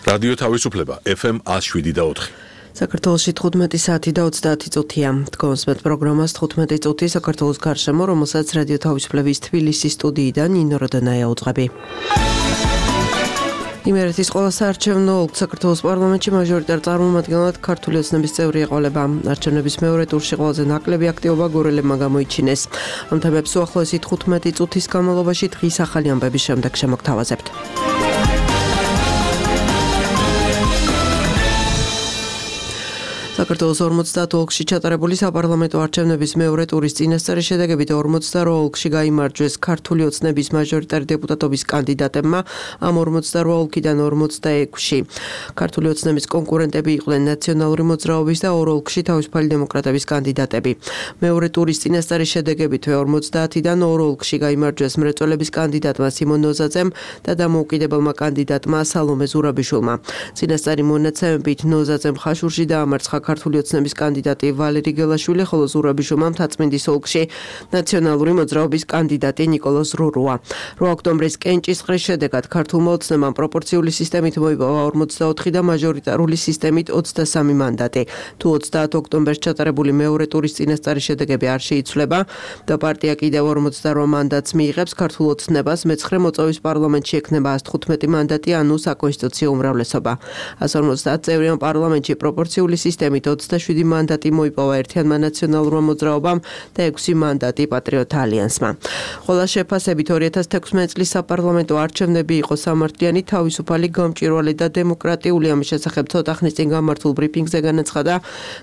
რადიო თავისუფლება FM 107.4. საქართველოში 15 საათი და 30 წუთია. დგომსმეთ პროგრამას 15 წუთი საქართველოს გარშემო, რომელსაც რადიო თავისუფლების თბილისის სტუდიიდან ნინო როდანაია უძღვები. იმერეთის ყველა საარჩევნო ოლქ საქართველოს პარლამენტში მაჟორიტარ წარმომადგენლად ქართული ოცნების წევრი ეყოლება. არჩევნების მეორე ტურში ყველაზე ნაკლები აქტივობა გორელებმა გამოიჩინეს. ამ თემებს უახლოესი 15 წუთის განმავლობაში დღის ახალი ამბების შემდეგ შემოგთავაზებთ. საქართველოს 50 ოლქში ჩატარებული საპარლამენტო არჩევნების მეორე ტურის წინასწარი შედეგებით 48 ოლქში გაიმარჯვეს ქართული ოცნების მაჟორიტარი დეპუტატობის კანდიდატებმა. ამ 48 ოლქიდან 46-ში ქართული ოცნების კონკურენტები იყვნენ ნაციონალური მოძრაობის და 2 ოლქში თავისუფალი დემოკრატების კანდიდატები. მეორე ტურის წინასწარი შედეგებით 50-დან 2 ოლქში გაიმარჯვეს მრეწველების კანდიდატმა სიმონ ნოზაძემ და დამოუკიდებელმა კანდიდატმა სალომე ზურაბიშვილმა. წინასწარი მონაცემებით ნოზაძემ ხაშურში დაამარცხა ქართული ოცნების კანდიდატი ვალერი გელაშვილი, ხოლო ზურაბიშვილმა მთაწმინდის ოლქში ნაციონალური მოძრაობის კანდიდატი ნიკოლოზ რურუა. 8 ოქტომბრის კენჭისყრის შედეგად ქართულმა ოცნებამ პროპორციული სისტემით მოიპოვა 44 და მაჟორიტარული სისტემით 23 მანდატი. თუ 30 ოქტომბერს ჩატარებული მეორე ტურის წინასწარი შედეგები არ შეიცვლება და პარტია კიდევ 48 მანდატს მიიღებს, ქართულ ოცნებას მეცხრე მოწვევის პარლამენტში ექნება 115 მანდატი, ანუ საკონსტიტუციო უმრავლესობა. 150 წევრიან პარლამენტში პროპორციული სისტემით 27 მანდატი მოიპოვა ერთიანმა ნაციონალურმა მოძრაობამ და 6 მანდატი პატრიოტთა ალიანსმა. ყველა შეფასებით 2016 წლის საპარლამენტო არჩევნები იყო სამართლიანი, თავისუფალი, გამჭვირვალე და დემოკრატიული. ამის შესახებ ცოტა ხნის წინ გამართულ ბრიფინგზე განაცხადა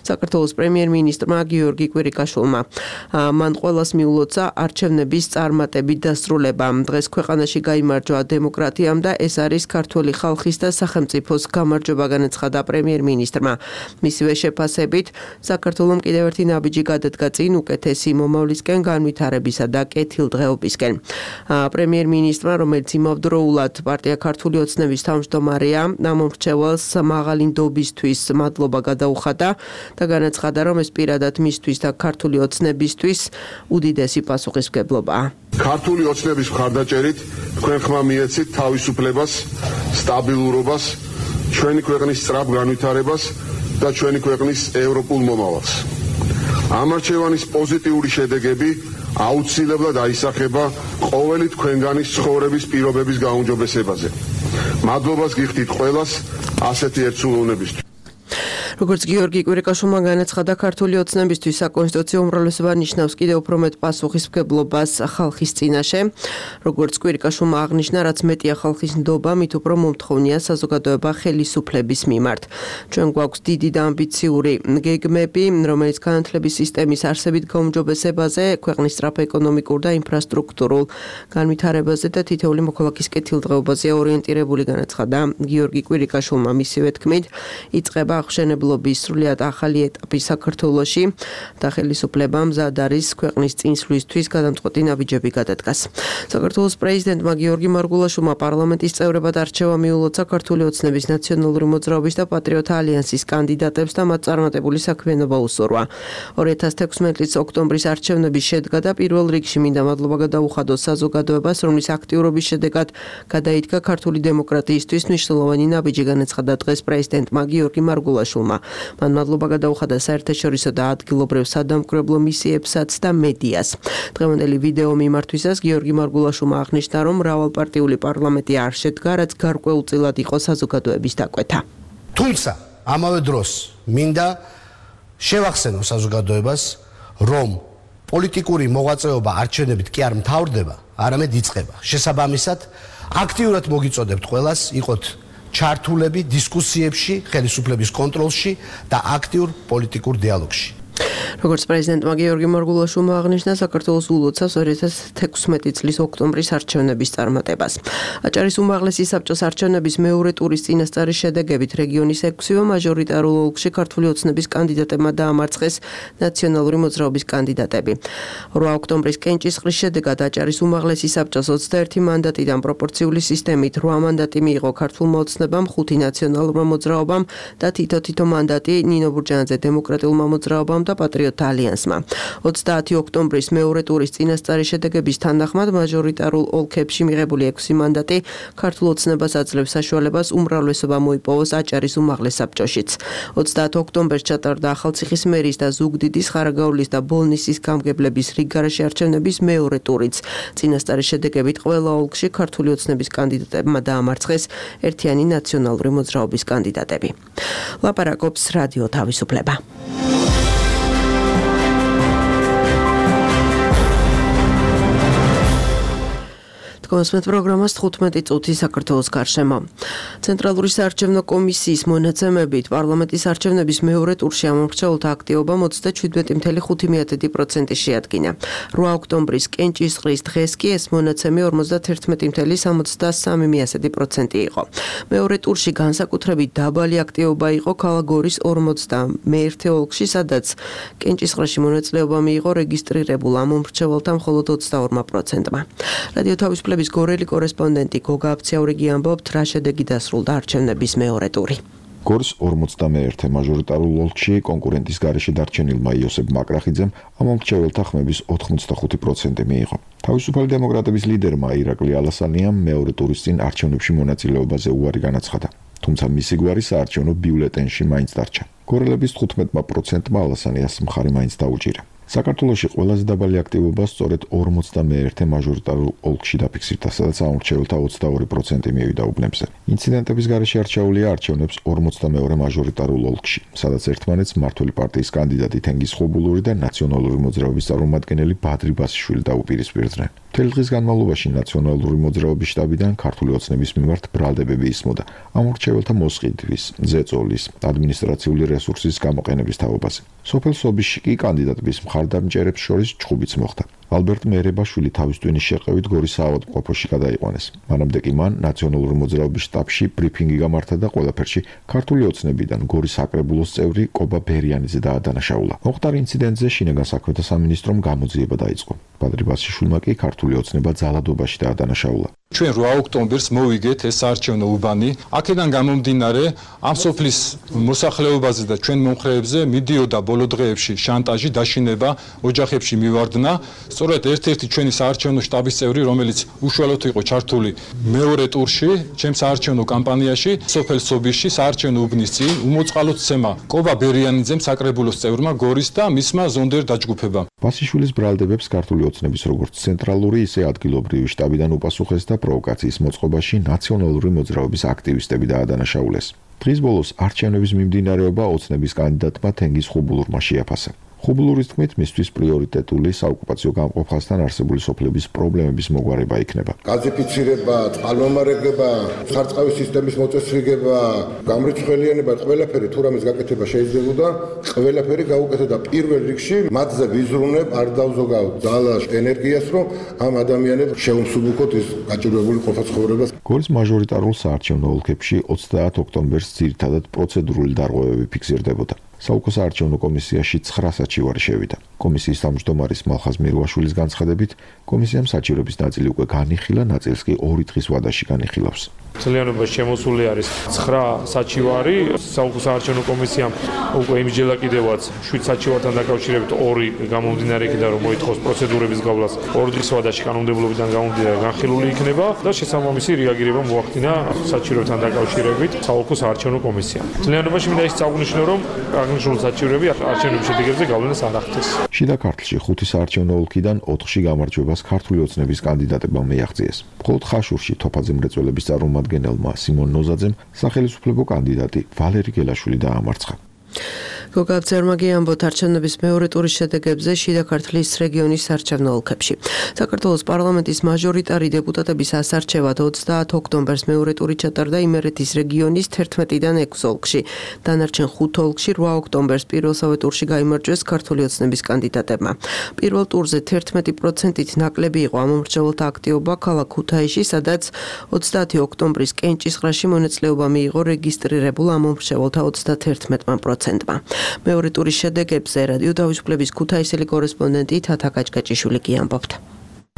საქართველოს პრემიერ-მინისტრმა გიორგი კვირიკაშვილმა. მან ყველას მიულოცა არჩევნების წარმატებით დასრულება. დღეს ქვეყანაში გაიმარჯვა დემოკრატიამ და ეს არის ქართული ხალხის და სახელმწიფოს გამარჯვება, განაცხადა პრემიერ-მინისტრმა. მისივე შეფასებით საქართველოს კიდევ ერთი ნაბიჯი გადადგა წინ უკეთესი მომავლისკენ, განვითარებისა და კეთილდღეობისკენ. პრემიერ-მინისტრმა, რომელიც იმავდროულად პარტია ქართული ოცნების თავმჯდომარეა, ამომრჩეველს მაღალი ნდობისთვის მადლობა გადაუხადა და განაცხადა, რომ ეს პირადად მისთვის და ქართული ოცნებისთვის უდიდესი პასუხისმგებლობაა. ქართული ოცნების მხარდაჭერით თქვენ ხმა მიეცით თავისუფლებას, სტაბილურობას, ჩვენი ქვეყნის სწრაფ განვითარებას და ჩვენი ქვეყნის ევროპულ მომავალს. ამ არჩევანის პოზიტიური შედეგები აუცილებლად აისახება ყოველი თქვენგანის ცხოვრების პირობების გაუმჯობესებაზე. მადლობას გიხდით ყველას ასეთი ერთსულოვნებისთვის. როგორც გიორგი კვირიკაშვილმა განაცხადა, ქართული ოცნებისთვის საკონსტიტუციო უმრავლესობა ნიშნავს კიდევ უფრო მეტ პასუხისმგებლობას ხალხის წინაშე. როგორც კვირიკაშვილმა აღნიშნა, რაც მეტია ხალხის ნდობა, მით უფრო მომთხოვნია საზოგადოება ხელისუფლების მიმართ. ჩვენ გვაქვს დიდი და ამბიციური გეგმები, რომელიც განათლების სისტემის არსებით გაუმჯობესებაზე, ქვეყნის სწრაფ ეკონომიკურ და ინფრასტრუქტურულ განვითარებაზე და თითოეული მოქალაქის კეთილდღეობაზე ორიენტირებული, განაცხადა გიორგი კვირიკაშვილმა. მისივე თქმით, იწყება აღშენებული სრულიად ახალი ეტაპი საქართველოში და ხელისუფლებამ მზად არის ქვეყნის წინსვლისთვის გადამწყვეტი ნაბიჯები გადადგას. საქართველოს პრეზიდენტმა გიორგი მარგულაშვილმა პარლამენტის წევრებად არჩევა მიულოცა ქართული ოცნების ნაციონალური მოძრაობის და პატრიოტთა ალიანსის კანდიდატებს და მათ წარმატებული საქმიანობა უსურვა. 2016 წლის ოქტომბრის არჩევნების შედგა და პირველ რიგში მინდა მადლობა გადაუხადოს საზოგადოებას, რომლის აქტიურობის შედეგად გადაიდგა ქართული დემოკრატიისთვის მნიშვნელოვანი ნაბიჯი, განაცხადა დღეს პრეზიდენტმა გიორგი მარგულაშვილმა. მან მადლობა გადაუხადა საერთაშორისო და ადგილობრივ სადამკვირვებლო მისიებსაც და მედიას. დღევანდელი ვიდეო მიმართვისას გიორგი მარგულაშვილმა აღნიშნა, რომ მრავალპარტიული პარლამენტი არ შედგა, რაც გარკვეულწილად იყო საზოგადოების დაკვეთა. თუმცა ამავე დროს მინდა შევახსენო საზოგადოებას, რომ პოლიტიკური მოღვაწეობა არჩევნებით კი არ მთავრდება, არამედ იწყება. შესაბამისად, აქტიურად მოგიწოდებთ ყველას იყოთ ჩართულები დისკუსიებში, ხელისუფლების კონტროლში და აქტიურ პოლიტიკურ დიალოგში. როგორც პრეზიდენტმა გიორგი მარგულაშვილმა აღნიშნა, საქართველოს ულოცავს 2016 წლის ოქტომბრის არჩევნების წარმატებას. აჭარის უმაღლესი საბჭოს არჩევნების მეორე ტურის წინასწარი შედეგებით რეგიონის 6-ვე მაჟორიტარულ ოლქში ქართული ოცნების კანდიდატებმა დაამარცხეს ნაციონალური მოძრაობის კანდიდატები. 8 ოქტომბრის კენჭისყრის შედეგად აჭარის უმაღლესი საბჭოს 21 მანდატიდან პროპორციული სისტემით 8 მანდატი მიიღო ქართულმა ოცნებამ, 5 ნაციონალურმა მოძრაობამ და თითო მანდატი ნინო ბურჯანაძე დემოკრატიულმა მოძრაობამ და პატრიოტთა ალიანსმა. 30 ოქტომბრის მეორე ტურის წინასწარი შედეგების თანახმად მაჟორიტარულ ოლქებში მიღებული 6 მანდატი ქართულ ოცნებას აძლევს საშუალებას უმრავლესობა მოიპოვოს აჭარის უმაღლეს საბჭოშიც. 30 ოქტომბერს ჩატარდა ახალციხის მერის და ზუგდიდის, ხარაგაულის და ბოლნისის გამგებლების რიგგარაში არჩევნების მეორე ტურიც. წინასწარი შედეგებით ყველა ოლქში ქართული ოცნების კანდიდატებმა დაამარცხეს ერთიანი ნაციონალური მოძრაობის კანდიდატები. ლაპარაკობს რადიო თავისუფლება. კონსმეთ პროგრამას 15 წუთი საქართველოს გარშემო. ცენტრალური საარჩევნო კომისიის მონაცემებით პარლამენტის არჩევნების მეორე ტურში ამომრჩეველთა აქტივობამ 37.5% შეადგინა. 8 ოქტომბრის კენჭისყრის დღეს კი ეს მონაცემი 51.73% იყო. მეორე ტურში განსაკუთრებით დაბალი აქტივობა იყო ქალაქ გორის 41 ოლქში, სადაც კენჭისყრაში მონაწილეობა მიიღო რეგისტრირებულ ამომრჩეველთა მხოლოდ 22%-მა. რადიო თავისუფლების გორელი კორესპონდენტი გოგა აფციაურიგი ამბობთ, რა შედეგი დასრულდა არჩევნების მეორე ტური. გორის 41 მაჟორიტარულ ოლქში კონკურენტის გარეშე დარჩენილმა იოსებ მაკრახიძემ ამომრჩეველთა ხმების 85% მიიღო. თავისუფალი დემოკრატების ლიდერმა ირაკლი ალასანიამ მეორე ტურის წინ არჩევნებში მონაწილეობაზე უარი განაცხადა. თუმცა მისი გვარი საარჩევნო ბიულეტენში მაინც დარჩა. გორელების 15%-მა ალასანიას მხარი მაინც დაუჭირა. საქართველოში ყველაზე დაბალი აქტივობა სწორედ 41 მაჟორიტარულ ოლქში დაფიქსირდა, სადაც ამომრჩეველთა 22% მივიდა უბნებზე. ინციდენტების გარეშე არჩეულია არჩევნებს 42 მაჟორიტარულ ოლქში, სადაც ერთმანეთს მმართველი პარტიის კანდიდატი თენგიზ ხუბულური და ნაციონალური მოძრაობის წარმომადგენელი ბადრი ბასიშვილი დაუპირისპირდნენ. მთელი დღის განმავლობაში ნაციონალური მოძრაობის შტაბიდან ქართული ოცნების მიმართ ბრალდებები ისმოდა ამომრჩეველთა მოსყიდვის, ზეწოლის, ადმინისტრაციული რესურსის გამოყენების თაობაზე. სოფელ სობიში კი კანდიდატების მხარდამჭერებს შორის ჭხუბიც მოხდა. ალბერტ მერებაშვილი თავის ტვინის შეყევით გორის საავადმყოფოში გადაიყვანეს. მანამდე კი მან ნაციონალური მოძრაობის შტაბში ბრიფინგი გამართა და ყველაფერში ქართული ოცნებიდან გორის საკრებულოს წევრი კობა ბერიანიძე დაადანაშაულა. მოხდარ ინციდენტზე შინაგან საქმეთა სამინისტრომ გამოძიება დაიწყო. ბადრი ბასიშვილმა კი ქართული ოცნება ძალადობაში დაადანაშაულა. ჩვენ 8 ოქტომბერს მოვიგეთ ეს საარჩევნო უბანი. აქედან გამომდინარე ამ სოფლის მოსახლეობაზე და ჩვენ მომხრეებზე მიდიოდა ბოლო დღეებში შანტაჟი, დაშინება, ოჯახებში მივარდნა. სწორედ ერთ-ერთი ჩვენი საარჩევნო შტაბის წევრი, რომელიც უშუალოდ იყო ჩართული მეორე ტურში, ჩემს საარჩევნო კამპანიაში, სოფელ სობიში საარჩევნო უბნის წინ უმოწყალოდ ცემა კობა ბერიანიძემ საკრებულოს წევრმა გორის და მისმა ზონდერ დაჯგუფებამ. ბასიშვილის ბრალდებებს ქართული ოცნების როგორც ცენტრალური, ისე ადგილობრივი შტაბიდან უპასუხეს და პროვოკაციის მოწყობაში ნაციონალური მოძრაობის აქტივისტები დაადანაშაულეს. დღის ბოლოს არჩევნების მიმდინარეობა ოცნების კანდიდატმა თენგიზ ხუბულურმა შეაფასა. ხუბულურის თქმით, მისთვის პრიორიტეტული საოკუპაციო გამყოფასთან არსებული სოფლების პრობლემების მოგვარება იქნება. გაზიფიცირება, წყალმომარაგება, სარწყავი სისტემის მოწესრიგება, გამრიცხველიანება, ყველაფერი თუ რამეს გაკეთება შეიძლებოდა, ყველაფერი გაუკეთდა პირველ რიგში, მათზე ვიზრუნებ, არ დავზოგავ ძალას, ენერგიას, რომ ამ ადამიანებს შეუმსუბუქოთ ის გაჭირვებული ყოფა-ცხოვრებას. გორის მაჟორიტარულ საარჩევნო ოლქებში 30 ოქტომბერს ძირითადად პროცედურული დარღვევები ფიქსირდებოდა. საუკო საარჩევნო კომისიაში 9 საჩივარი შევიდა. კომისიის თავმჯდომარის მალხაზ მირვაშვილის განცხადებით, კომისიამ საჩივრების ნაწილი უკვე განიხილა, ნაწილს კი 2 დღის ვადაში განიხილავს. ძალიანობაში შემოსული არის 9 საჩივარი. საუკო საარჩევნო კომისიამ უკვე იმჯერა კიდევაც 7 საჩივართან დაკავშირებით 2 გამომდინარე იქიდან რომ მოითხოვს პროცედურების გავლას 2 დღის ვადაში კანონმდებლობიდან გამომდინარე განხილული იქნება და შესაბამისი რეაგირება მოახდინა საჩივრებთან დაკავშირებით საუკო საარჩევნო კომისიამ. ძალიანობაში მინდა ის წაღვნიშნო რომ აღნიშნული საჩივრები არჩევნების შედეგებზე გავლენას არ ახდენს. შიდა ქართლში 5 საარჩევნო ოლქიდან 4-ში გამარჯვებას ქართული ოცნების კანდიდატებმა მიაღწიეს. მხოლოდ ხაშურში თოფაძე მრეწველების წარმომადგენელმა სიმონ ნოზაძემ სახელმწიფო კანდიდატი ვალერი გელაშვილი დაამარცხა. გოგა აფციაურიგი ამბობთ არჩევნების მეორე ტურის შედეგებზე შიდა ქართლის რეგიონის საარჩევნო ოლქებში. საქართველოს პარლამენტის მაჟორიტარი დეპუტატების ასარჩევად 30 ოქტომბერს მეორე ტური ჩატარდა იმერეთის რეგიონის 11-დან 6 ოლქში. დანარჩენ 5 ოლქში 8 ოქტომბერს პირველსავე ტურში გაიმარჯვეს ქართული ოცნების კანდიდატებმა. პირველ ტურზე 11%-ით ნაკლები იყო ამომრჩეველთა აქტივობა ქალაქ ქუთაისში, სადაც 30 ოქტომბრის კენჭისყრაში მონაწილეობა მიიღო რეგისტრირებულ ამომრჩეველთა 31%-მა. მეორე ტურის შედეგებზე რადიო თავისუფლების ქუთაისელი კორესპონდენტი თათა კაჭკაჭიშვილი კი ამბობთ.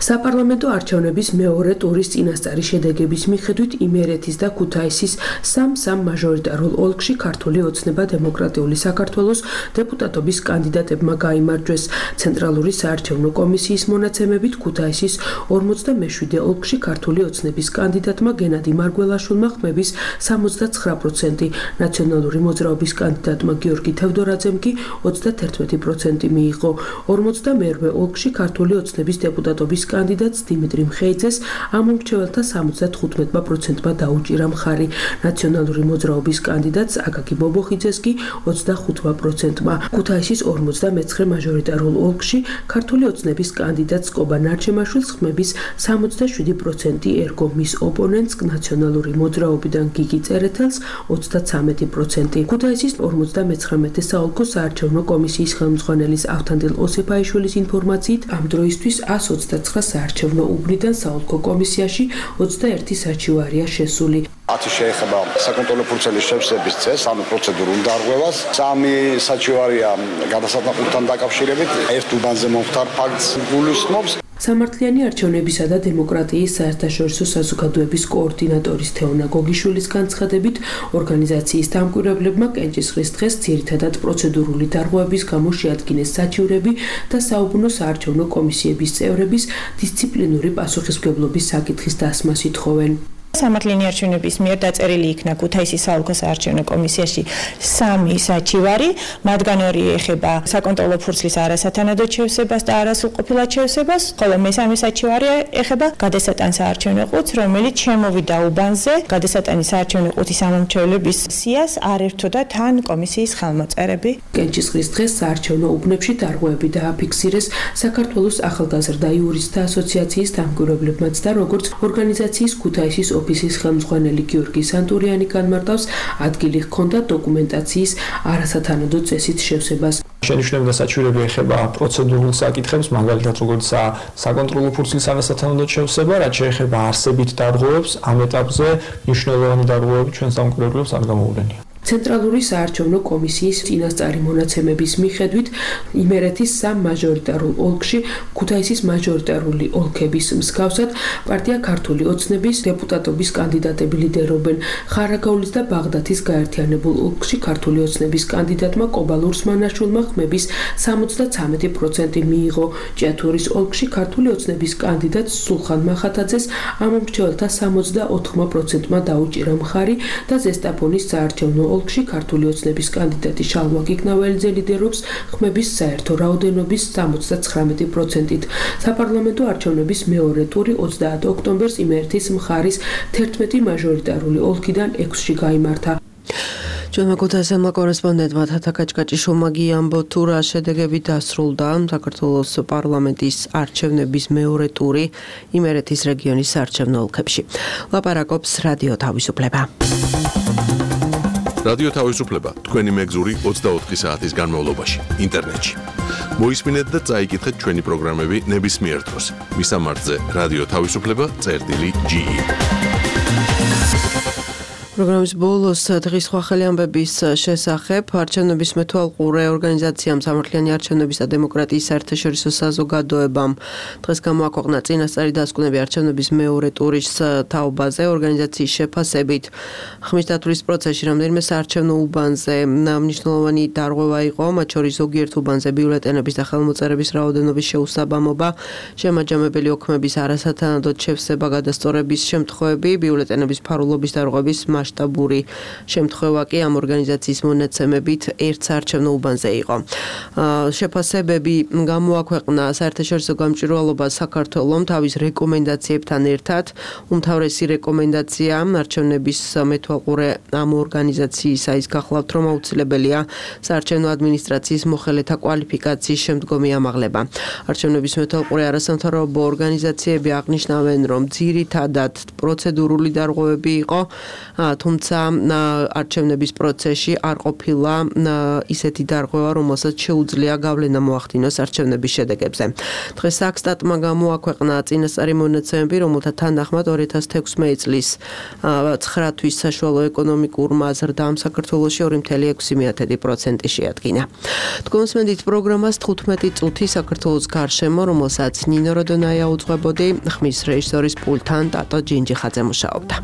საპარლამენტო არჩევნების მეორე ტურის წინასწარი შედეგების მიხედვით იმერეთის და ქუთაისის სამ მაჟორიტარულ ოლქში ქართული ოცნება დემოკრატიული საქართველოს დეპუტატობის კანდიდატებმა გაიმარჯვეს. ცენტრალური საარჩევნო კომისიის მონაცემებით ქუთაისის 47 ოლქში ქართული ოცნების კანდიდატმა გენადი მარგველაშვილმა ხმების 69%, ნაციონალური მოძრაობის კანდიდატმა გიორგი თევდორაძემ კი 31% მიიღო. 42 ოლქში ქართული ოცნების დეპუტატობის კანდიდატს დიმიტრი მხეიძეს ამომრჩეველთა 75%-მა დაუჭირა მხარი. ნაციონალური მოძრაობის კანდიდატს აკაკი ბობოხიძეს კი 25%-მა. ქუთაისის 49 მაჟორიტარულ ოლქში ქართული ოცნების კანდიდატს კობა ნარჩემაშვილს ხმების 67% ერგო, მის ოპონენტს ნაციონალური მოძრაობიდან გიგი წერეთელს 33%. ქუთაისის 59 საოლქო საარჩევნო კომისიის ხელმძღვანელის ავთანდილ ოსეფაიშვილის ინფორმაციით ამ დროისთვის 129 საარჩევნო უბნიდან საოლქო კომისიაში 21 საჩივარია შესული. 10 შეეხება საკონტროლო ფურცელი შევსების წესს, ანუ პროცედურულ დარღვევას. 3 საჩივარია გადასატანხმებთან დაკავშირებით, ერთ უბანზე მომხდარ ფაქტს გულისხმობს. სამართლიანი არჩევნებისა და დემოკრატიის საერთაშორისო საზოგადოების კოორდინატორის თეონა გოგიშვილის განცხადებით, ორგანიზაციის დამკვირვებლებმა კენჭისყრის დღეს ძირითადად პროცედურული დარღვევების გამო შეადგინეს საჩივრები და საუბნო საარჩევნო კომისიების წევრების დისციპლინური პასუხისმგებლობის საკითხის დასმას ითხოვენ. სამართლიანი არჩევნების მიერ დაწერილი იქნა ქუთაისის საოლქო საარჩევნო კომისიაში 3 საჩივარი, მათგან 2 ეხება საკონტროლო ფურცლის არასათანადოდ შევსებას და არასრულყოფილად შევსებას, ხოლო მესამე საჩივარი ეხება გადასატან საარჩევნო ყუთს, რომელიც შემოვიდა უბანზე, გადასატანის საარჩევნო ყუთის ამომრჩევლების სიას არ ერთოდა თან კომისიის ხელმოწერები. კენჭისყრის დღეს საარჩევნო უბნებში დარღვევები დააფიქსირეს საქართველოს ახალგაზრდა იურისტთა ასოციაციის დამკვირვებლებმაც და როგორც ორგანიზაციის ქუთაისის ოფისის ხელმძღვანელი გიორგი სანტურიანი განმარტავს, ადგილი ჰქონდა დოკუმენტაციის არასათანადო წესით შევსებას. შენიშვნები და საჩივრები ეხება პროცედურულ საკითხებს, მაგალითად როგორც საკონტროლო ფურცლის არასათანადო შევსება, რაც შეეხება არსებით დარღვევებს, ამ ეტაპზე მნიშვნელოვანი დარღვევები ჩვენს დამკვირვებლებს არ გამოუვლენია. ცენტრალური საარჩევნო კომისიის წინასწარი მონაცემების მიხედვით იმერეთის 3 მაჟორიტარულ ოლქში ქუთაისის მაჟორიტარული ოლქების მსგავსად პარტია ქართული ოცნების დეპუტატობის კანდიდატები ლიდერობენ. ხარაგაულის და ბაღდათის გაერთიანებულ ოლქში ქართული ოცნების კანდიდატმა კობა ლურსმანაშვილმა ხმების 73% მიიღო. ჭიათურის ოლქში ქართული ოცნების კანდიდატს სულხან მახათაძეს ამომრჩეველთა 64%-მა დაუჭირა მხარი და ზესტაფონის საარჩევნო ოლქში ქართული ოცნების კანდიდატი შალვა გიგნაველიძე ლიდერობს ხმების საერთო რაოდენობის 79%-ით. საპარლამენტო არჩევნების მეორე ტური 30 ოქტომბერს იმერეთის მხარის 11 მაჟორიტარული ოლქიდან 6-ში გაიმართა. ჩვენმა ქუთაისელმა კორესპონდენტმა თათა კაჭკაჭიშვილმა გიამბო თუ რა შედეგები დასრულდა საქართველოს პარლამენტის არჩევნების მეორე ტური იმერეთის რეგიონის საარჩევნო ოლქებში. ლაპარაკობს რადიო თავისუფლება. რადიო თავისუფლება თქვენი მეგზური 24 საათის განმავლობაში ინტერნეტში. მოისმინეთ და წაიკითხეთ ჩვენი პროგრამები ნებისმიერ დროს. მისამართზე რადიო თავისუფლება.ge. პროგრამის ბოლოს დღის სხვა ხელი ამბების შესახებ არჩევნების მეთვალყურე ორგანიზაციამ სამართლიანი არჩევნების და დემოკრატიის საერთაშორისო საზოგადოებამ დღეს გამოაქვეყნა წინასწარი დასკვნები არჩევნების მეორე ტურის თაობაზე. ორგანიზაციის შეფასებით ხმის დათვლის პროცესში რამდენიმე საარჩევნო უბანზე მნიშვნელოვანი დარღვევა იყო, მათ შორის ზოგიერთ უბანზე ბიულეტენების და ხელმოწერების რაოდენობის შეუსაბამობა, შემაჯამებელი ოქმების არასათანადოდ შევსება, გადასწორების შემთხვევები, ბიულეტენების ფარულობის დარღვევის მასშტაბური შემთხვევა კი ამ ორგანიზაციის მონაცემებით ერთ საარჩევნო უბანზე იყო. შეფასებები გამოაქვეყნა საერთაშორისო გამჭვირვალობა საქართველოს თავის რეკომენდაციებთან ერთად. უმთავრესი რეკომენდაცია არჩევნების მეთვალყურე ამ ორგანიზაციისა ის გახლავთ, რომ აუცილებელია საარჩევნო ადმინისტრაციის მოხელეთა კვალიფიკაციის შემდგომი ამაღლება. არჩევნების მეთვალყურე არასამთავრობო ორგანიზაციები აღნიშნავენ, რომ ძირითადად პროცედურული დარღვევები იყო, თუმცა არჩევნების პროცესში არ ყოფილა ისეთი დარღვევა, რომელსაც შეუძლია გავლენა მოახდინოს არჩევნების შედეგებზე. დღეს საქსტატმა გამოაქვეყნა წინასწარი მონაცემები, რომელთა თანახმად 2016 წლის 9 თვის საშუალო ეკონომიკურმა ზრდამ საქართველოში 2.6% შეადგინა. თქვენსმენდით პროგრამას 15 წუთი საქართველოს გარშემო, რომელსაც ნინო როდონაია უძღვებოდი, ხმის რეჟისორის პულტთან ტატო ჯინჯიხაძე მუშაობდა.